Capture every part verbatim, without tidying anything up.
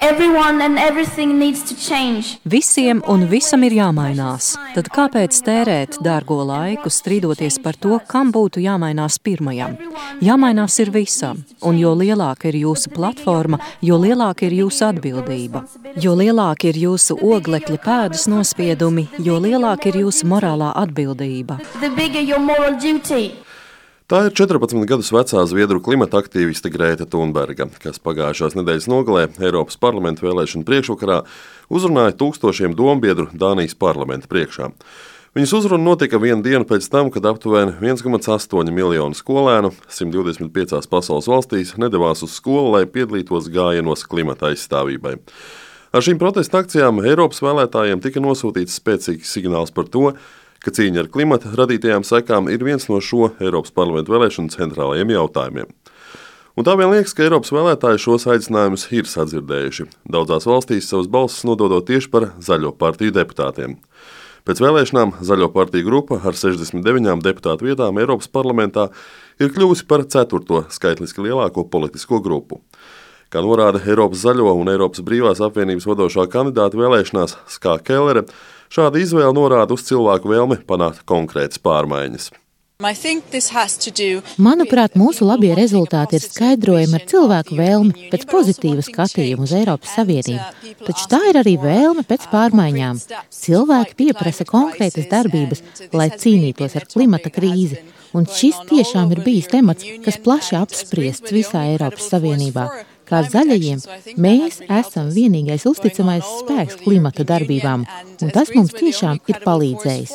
Everyone and everything needs to change. Visiem un visam ir jāmainās. Tad kāpēc tērēt dārgo laiku strīdoties par to, kam būtu jāmainās pirmajam? Jāmainās ir visam, un jo lielāka ir jūsu platforma, jo lielāka ir jūsu atbildība. Jo lielāka ir jūsu oglekļa pēdas nospiedumi, jo lielāka ir jūsu morālā atbildība. The bigger your moral duty. Tā ir četrpadsmit gadus vecā zviedru klimata aktīviste Grēta Thunberga, kas pagājušās nedēļas nogalē Eiropas parlamenta vēlēšanu priekšvakarā uzrunāja tūkstošiem dombiedru Dānijas parlamenta priekšā. Viņas uzruna notika vienu dienu pēc tam, kad aptuveni viens komats astoņi miljonu skolēnu simt divdesmit piecās pasaules valstīs nedavās uz skolu, lai piedalītos gājienos klimata aizstāvībai. Ar šīm protesta akcijām Eiropas vēlētājiem tika nosūtīts spēcīgs signāls par to, ka cīņa ar klimata radītajām sekām ir viens no šo Eiropas parlamenta vēlēšanu centrālajiem jautājumiem. Un tā vien liekas, ka Eiropas vēlētāji šos aicinājumus ir sadzirdējuši. Daudzās valstīs savas balsis nododot tieši par Zaļo partiju deputātiem. Pēc vēlēšanām Zaļo partiju grupa ar sešdesmit deviņām deputātu vietām Eiropas parlamentā ir kļuvusi par ceturto skaitliski lielāko politisko grupu. Kā norāda Eiropas Zaļo un Eiropas Brīvās apvienības vadošā kandidāta vēlēšanās Skā Kellere, šāda izvēle norāda uz cilvēku vēlmi panākt konkrētas pārmaiņas. Manuprāt, mūsu labie rezultāti ir skaidrojami ar cilvēku vēlmi pēc pozitīva skatījuma uz Eiropas Savienību. Taču tā ir arī vēlme pēc pārmaiņām. Cilvēki pieprasa konkrētas darbības, lai cīnītos ar klimata krīzi. Un šis tiešām ir bijis temats, kas plaši apspriests visā Eiropas Savienībā. Kā zaļajiem, mēs esam vienīgais uzticamais spēks klimata darbībām, un tas mums tiešām ir palīdzējis.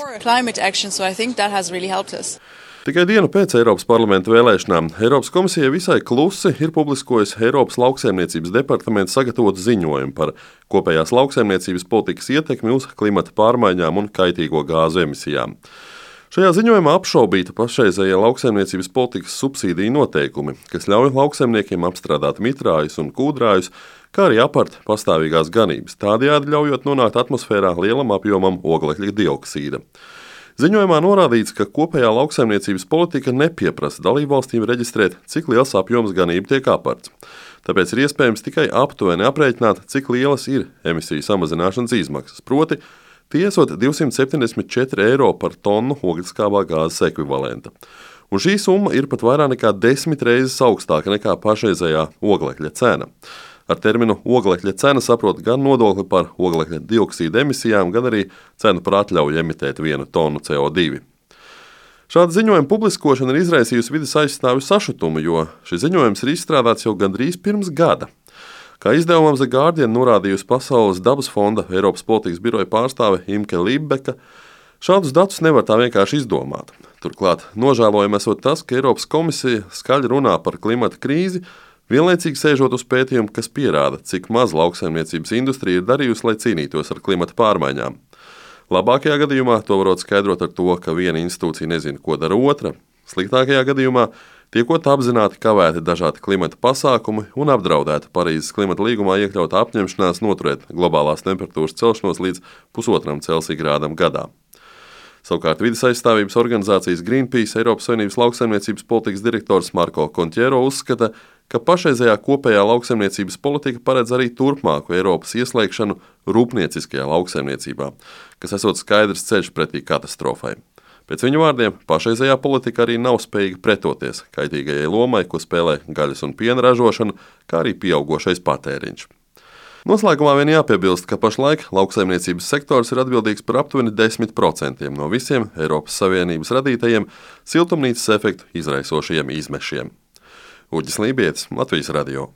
Tikai dienu pēc Eiropas parlamenta vēlēšanām Eiropas komisija visai klusi ir publiskojusi Eiropas lauksaimniecības departamenta sagatavotu ziņojumu par kopējās lauksaimniecības politikas ietekmi uz klimata pārmaiņām un kaitīgo gāzu emisijām. Šajā ziņojumā apšaubīta pašreizējie lauksaimniecības politikas subsīdiju noteikumi, kas ļauj lauksaimniekiem apstrādāt mitrājus un kūdrājus, kā arī apart pastāvīgās ganības, tādējādi ļaujot nonākt atmosfērā lielam apjomam oglekļa dioksīda. Ziņojumā norādīts, ka kopējā lauksaimniecības politika nepieprasa dalībvalstīm reģistrēt, cik liels apjoms ganību tiek aparts. Tāpēc ir iespējams tikai aptuveni aprēķināt, cik lielas ir emisiju samazināšanas izmaksas, proti tie esot divsimt septiņdesmit četri eiro par tonu oglekļskābā gāzes ekvivalenta. Un šī summa ir pat vairāk nekā desmit reizes augstāka nekā pašreizējā oglekļa cena. Ar terminu oglekļa cena saprot gan nodokli par oglekļa dioksīda emisijām, gan arī cenu par atļauju emitēt vienu tonu C O divi. Šāda ziņojuma publiskošana ir izraisījusi vides aizstāvju sašutumu, jo šis ziņojums ir izstrādāts jau gandrīz pirms gada. Kā izdevumam The Guardian norādījusi Pasaules dabas fonda Eiropas politikas biroja pārstāve Imke Libbeka, šādus datus nevar tā vienkārši izdomāt. Turklāt nožēlojami esot tas, ka Eiropas komisija skaļi runā par klimata krīzi, vienlaicīgi sēžot uz pētījumu, kas pierāda, cik maz lauksaimniecības industrija ir darījusi, lai cīnītos ar klimata pārmaiņām. Labākajā gadījumā to varot skaidrot ar to, ka viena institūcija nezina, ko dara otra. Sliktākajā gadījumā tiekot apzināti kavēti dažādi klimata pasākumi un apdraudēta Parīzes klimata līgumā iekļauta apņemšanās noturēt globālās temperatūras celšanos līdz pusotram Celsija grādam gadā. Savukārt vides aizstāvības organizācijas Greenpeace Eiropas Savienības lauksaimniecības politikas direktors Marko Kontiero uzskata, ka pašreizējā kopējā lauksaimniecības politika paredz arī turpmāku Eiropas ieslēgšanu rūpnieciskajā lauksaimniecībā, kas esot skaidrs ceļš pretī katastrofai. Pēc viņu vārdiem, pašreizējā politika arī nav spējīga pretoties kaitīgajai lomai, ko spēlē gaļas un piena ražošana, kā arī pieaugošais patēriņš. Noslēgumā vien jāpiebilst, ka pašlaik lauksaimniecības sektors ir atbildīgs par aptuveni desmit procentiem no visiem Eiropas Savienības radītajiem siltumnīcas efektu izraisošajiem izmešiem. Uģis Lībietis, Latvijas radio.